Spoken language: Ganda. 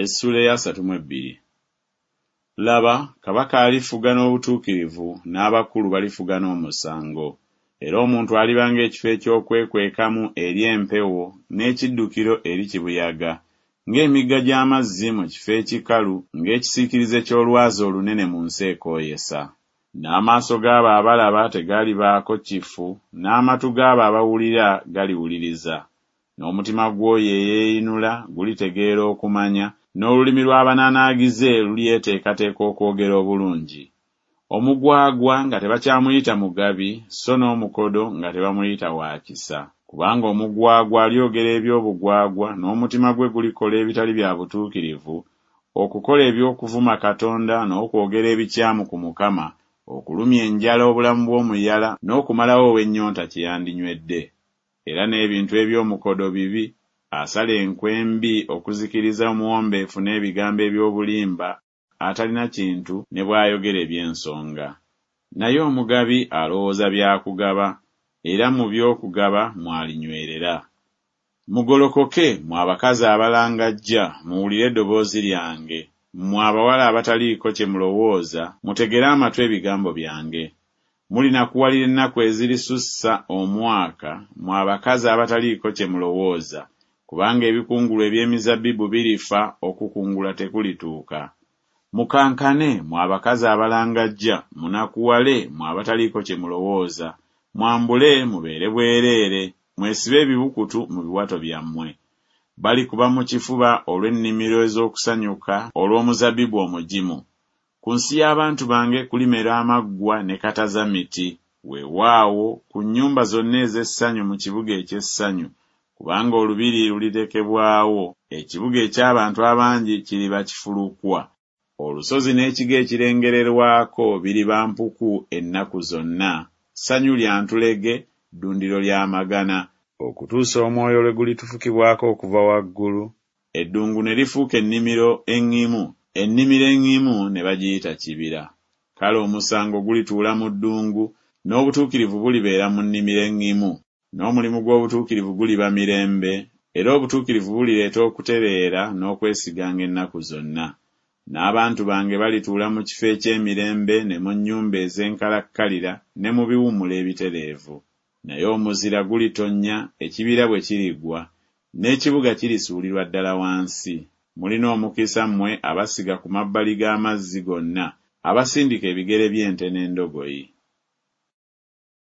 Essuula ey'asatu mu ebbiri. Laba, kabaka alifuga n'obutuukirivu, n'abakulu balifuga n'omusango. Era omuntu aliba ng'ekifo eky'okwekwekamu eri empewo, n'ekiddukiro eri kibuyaga, ng'emigga gy'amazzi mu kifo ekikalu, ng'ekisiikirize ky'olwazi olunene mu nsi ekooyesa. N'amaaso g'abo abalaba tegalibaako kifu, n'amatu g'abo abawulira galiwuliriza. N'omutima gw'oyo eyeeyinula gulitegeera okumanya, n'olulimi lw'abananaagize lulyeteekateeka okwogera obulungi. Omugwagwa nga tebakyamuyita mugabi, so n'omukodo nga tebamuyita wa kisa. Kubanga omugwagwa alyogera eby'obugwagwa, n'omutima gwe gulikola ebitali bya butuukirivu, okukola eby'okuvuma Katonda n'okwogera ebikyamu ku Mukama, okulumya enjala obulamu bw'omuyala, n'okumalawo ow'ennyonta kye yandinywedde. Era n'ebintu eby'omukodo bibi, asala enkwe embi okuzikiriza omuwombeefu n'ebigambo eby'obulimba atalina kintu ne bw'ayogera eby'ensonga. Naye omugabi alowooza bya kugaba, era mu by'okugaba mw'alinywerera. Mugolokoke, mmwe abakazi abalangajja, muwulire eddoboozi lyange, mmwe abawala abataliiko kye mulowooza, mutegere amatu ebigambo byange. Mulinakuwalira ennaku ezirisussa omwaka, mmwe abakazi abataliiko kye mulowooza, kubanga ebikungulwa eby'emizabbibu birifa, okukungula tekulituuka. Mukankane, mmwe abakazi abalangajja, munakuwale, mmwe abataliiko kye mulowooza, mwambule mubeere bwereere, mwesibe ebibukutu mu biwato byammwe. Balikuba mu kifuba olw'ennimiro ez'okusanyuka olw'omuzabbibu omugimu. Ku nsi y'abantu bange kulimera amaggwa ne katazamiti, weewaawo, ku nnyumba zonna ez'essanyu mu kibuga eky'essanyu, kubanga olubiri lulirekebwawo, ekibuga eky'abantu abangi kiriba kifulukwa. Olusozi n'ekigo ekirengererwako biriba mpuku ennaku zonna, ssanyu lya ntulege, ddundiro lya magana, okutuusa omwoyo lwe gulitufukibwako okuva waggulu, eddungu ne lifuuka ennimiro eŋŋimu, ennimiro eŋŋimu ne bagiyita kibira. Kale omusango gulituula mu ddungu, n'obutuukirivu bulibeera mu nnimiro eŋŋimu, n'omulimu gw'obutuukirivu guliba mirembe, era obutuukirivu bulireeta okutereera n'okwesiganga ennaku zonna. N'abantu bange balituula mu kifo eky'emirembe ne mu nnyumba ez'enkalakkalira ne mu biwummulo ebitereevu. Naye omuzira gulitonnya ekibira bwe kirigwa, n'ekibuga kirisuulirwa ddala wansi. Mulina omukisa mmwe abasiga ku mabbali g'amazzi gonna, abasindika ebigere by'ente n'endogoyi.